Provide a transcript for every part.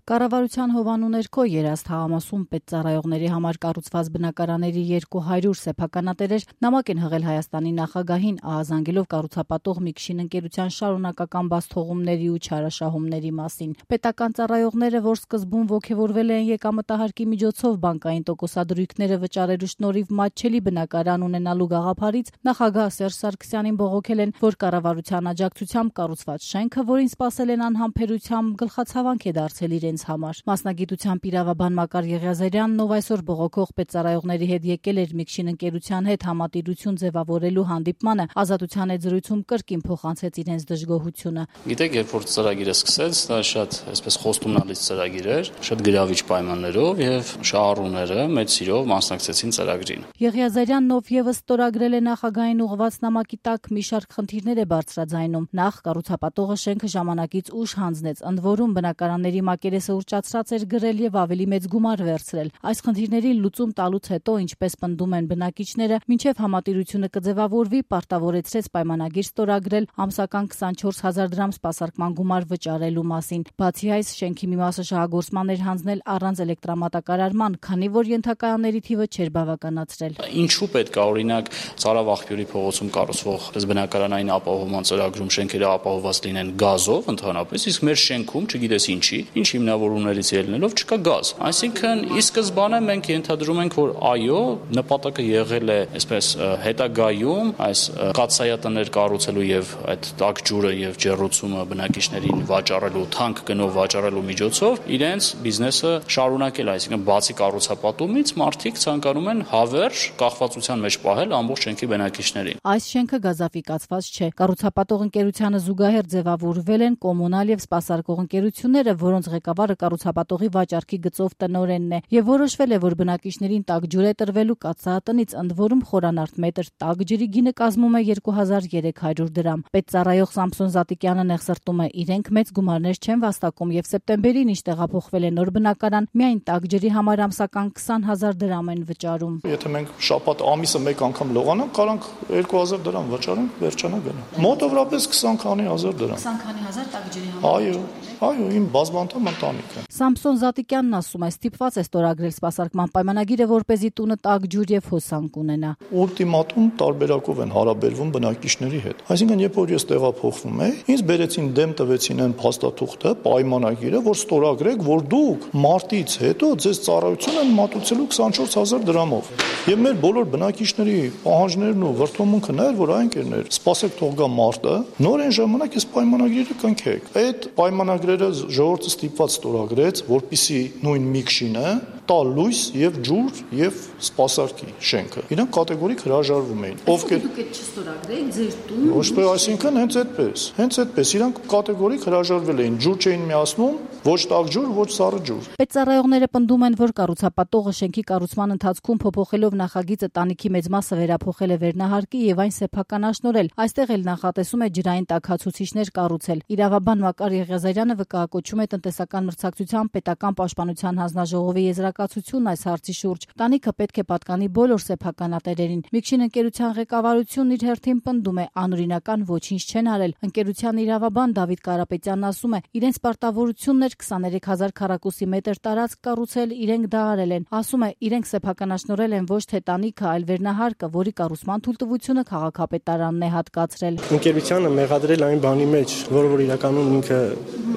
Կառավարության հովանու ներքո Երաստ հաղամասում պետծառայողների համար կառուցված բնակարանների 200 սեփականատերեր նամակ են հղել Հայաստանի նախագահին, ահազանգելով կառուցապատող Միքշին ընկերության շարունակական բացթողումների ու չարաշահումների մասին։ Պետական ծառայողները, որ սկզբում ոգևորվել են եկամտահարկի միջոցով բանկային տոկոսադրույքները վճարելու շնորհիվ մատչելի բնակարան ունենալու գաղափարից, նախագահ Սերժ Սարգսյանին բողոքել են, որ կառավարության աջակցությամբ կառուցված շենքը, որին սպասել են անհամբերությամբ, գլխացավանք է դարձել իրենց համար։ Մասնագիտությամբ իրավաբան Մակար Եղիազարյանն, ով այսօր բողոքող պետծառայողների հետ եկել էր Միքշին ընկերության հետ համատիրություն ձևավորելու հանդիպմանը, Ազատության հետ զրույցում կրկին փոխանցեց իրենց դժգոհությունը։ Գիտեք, երբ որ ծրագիրը սկսեց, դա շատ այսպես խոստումնալից ծրագիր էր, շատ գրավիչ պայմաններով եւ շահառուները մեծ սիրով մասնակցեցին ծրագրին։ Եղիազարյանն, ով եւս ստորագրել է նախագահային ուղղված նամակի տակ, մի շարք խնդիրներ է բարձրաձայնում։ Նախ կառուցապատողը շենքը ժամանակից ուշ հանձնեց, ընդ որում բնակարանների մակերեսը ուռճացրած էր գրել եւ ավելի մեծ գումար վերցրել։ Այս խնդիրների լուծում տալուց հետո, ինչպես պնդում են բնակիչները, մինչեւ համատիրությունը կձևավորվի, պարտավորեցրեց պայմանագիր ստորագրել ամսական 24,000 դրամ սպասարկման գումար վճարելու մասին։ Բացի այս, շենքի մի մասը շահագործման էր հանձնել առանց էլեկտրամատակարարման, քանի որ ենթակայանների թիվը չէր բավականացրել։ Ինչու պետք է օրինակ Ծարավաղբյուրի փողոցում կառուցվող բնակարանային ապահովման ծրագրում շենքերը ապահովված լինեն գազով ընդհանրապես, իսկ մեր շենքում, չգիտես ինչ հիմնավորումներից ելնելով չկա գազ։ Այսինքն, ի սկզբանե մենք ենթադրում ենք, որ այո, նպատակը եղել է այսպես հետագայում այս կաթսայատներ կառուցելու եւ այդ տաք ջուրը եւ ջեռուցումը բնակիչներին վաճառելու, թանկ գնով վաճառելու միջոցով իրենց բիզնեսը շարունակել, այսինքն բացի կառուցապատումից մարդիկ ցանկանում են հավերժ կախվածության մեջ պահել ամբողջ շենքի բնակիչներին։ Այս շենքը գազաֆիկացված չէ։ Կառուցապատող ընկերությանը զուգահեռ ձևավորվել են կոմունալ եւ սպասարկող ընկերությունները, որոնց ղեկավարը կառուցապատողի վաճառքի գծով տնօրենն է, եւ որոշվել է, որ բնակիչներին տաք ջուր է տրվելու կաթսաատնից, ընդ որում խորանարդ մետր տաք ջրի գինը կազմում է 2300 դրամ։ Պետծառայող Սամսոն Զատիկյանը նեղսրտում է, իրենք մեծ գումարներ չեն վաստակում եւ սեպտեմբերին ինչ տեղափոխվել է նոր բնակարան, միայն տաք ջրի համար ամսական 20,000 դրամ են վճարում։ Եթե մենք շաբաթ ամիսը մեկ անգամ լողանանք, կարանք 2000 դրամ վճարենք, վերջանա գնա։ Մոտավորապես 20 քանի հազար դրամ։ 20 քանի հազար տաք ջրի համար։ Այո, իմ բազմանդամ ընտանիքը։ Սամսոն Զատիկյանն ասում է, ստիպված է ստորագրել սպասարկման պայմանագիրը, որպեսզի տունը տաք ջուր եւ հոսանք ունենա։ Ուլտիմատում տարբերակով են հարաբերվում բնակիչների հետ։ Այսինքն, երբ որ ես տեղափոխվում եի, ինձ բերեցին դեմ տվեցին այն փաստաթուղթը, պայմանագիրը, որ ստորագրեք, որ դուք մարտից հետո ձեզ ծառայություն են մատուցելու 24000 դրամով։ Եվ մեր բոլոր բնակիչների պահանջներն ու վրթովմունքն էր, որ այն կերներ, սպասեք թող գա մարտը, նոր այն ժամանակ այս պայմանագիրը կնքեք։ Այդ պայմանագրերը ժողովուրդը ստիպված ստորագրեց, որպեսզի նույն Միքշինը տա լույս եւ ջուր եւ սպասարկի շենքը։ Իրանք կատեգորիկ հրաժարվում էին։ Ովքեր դուք այդ չստորագրեք ձեր տուն։ Ոչ թե, այսինքն հենց այդպես իրանք կատեգորիկ հրաժարվել էին, ջուր չէին միացնում, ոչ տաք ջուր, ոչ սառը ջուր։ Պետծառայողները պնդում են, որ կառուցապատողը շենքի կառուցման ընթացքում փոփոխելով նախագիծը տանիքի մեծ մասը վերափոխել է վերնահարկի եւ այն սեփականաշնորհել։ Այստեղ էլ նախատեսում է ջրային տաքացուցիչներ կառուցել։ Իրավաբան Մակար Եղիազարյանը վկայակոչում է տնտեսական մրցակցության պետական պաշտպանության հանձնաժողովի եզրակացությունն այս հարցի շուրջ։ Տանիքը պետք է պատկանի բոլոր սեփականատերերին։ Միքշին ընկերության ղեկավարությունն իր հերթին պնդում է, անօրինական ոչինչ չեն արել։ Ընկերության իրավաբան Դավիթ Կարապետյանն ասում է, իրենց պարտավորությունն էր 23000 քառակուսի մետր տարածք կառուցել, իրենք դա արել են։ Ասում է, իրենք սեփականաշնորհել են ոչ թե տանիքը, այլ վերնահարկը, որի կառուցման թույլտվությունը քաղաքապետարանն է հատկացրել։ Ընկերությանը մեղադրել այն բանի մեջ, որը որ իրականում ինքը,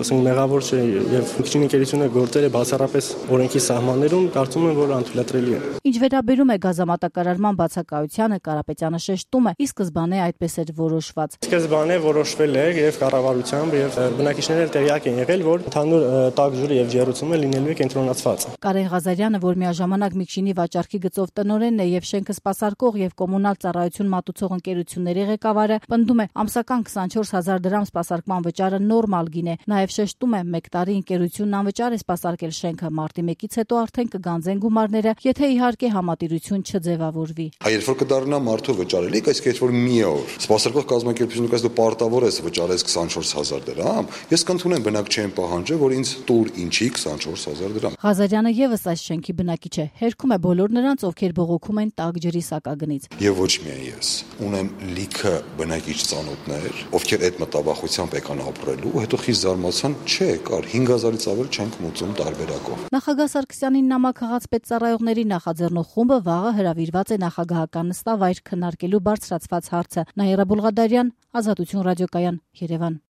ասենք, մեղավոր չէ եւ Միքշին ընկերությունը գործել է բացառապես օրենքի սահմաններում, կարծում եմ, որ անթույլատրելի է։ Ինչ վերաբերում է գազամատակարարման բացակայությանը, Կարապետյանը շեշտում է, ի սկզբանե այդպես էր որոշված։ Սկզբանե որոշվել է եւ կառավարությամբ եւ բնակիչները տեղյակ են եղել, որ ընդհանուր տաք ջուրը եւ ջեռուցումը լինելու է կենտրոնացված։ Կարեն Ղազարյանը, որ միաժամանակ Միքշինի վաճառքի գծով տնօրենն է եւ շենքը սպասարկող եւ կոմունալ ծառայություն մատուցող ընկերությունների ղեկավարը, պնդում է, ամսական 24000 դրամ սպասարկման վճարը նորմալ գին է։ Նաեւ շեշտում է, 1 տարի ընկերությունն անվճար է սպասարկել շենքը, մարտի 1-ից հետո արդեն արդեն կգանձեն գումարները, եթե իհարկե համատիրություն չձևավորվի։ Երբ որ կդառնա մարդու վճարելիք, այսինքն երբ որ մի օր սպասարկող կազմակերպությունը կասի դու պարտավոր ես վճարես 24000 դրամ, ես կընդունեմ, բնակ չեմ պահանջը, որ ինձ տուր ինչի 24000 դրամ։ Ղազարյանը եւս այս շենքի բնակիչ է, հերքում է բոլոր նրանց, ովքեր բողոքում են տաք ջրի սակագնից։ Եվ ոչ միայն ես, ունեմ լիքը բնակիչ ծանոթներ, ովքեր այդ մտավախությամբ եկան ապրելու, հետո խիստ զարմացան, չէ, կար 5000-ից ավել չենք մուծում տարբերակով։ Նախագահ Սարգսյանին նամակ հղած պետծառայողների նախաձեռնող խումբը վաղը հրավիրված է նախագահական նստավայր քննարկելու բարձրացված հարցը։ Նաիրա Բուլղադարյան, Ազատություն ռադիոկայան, Երևան։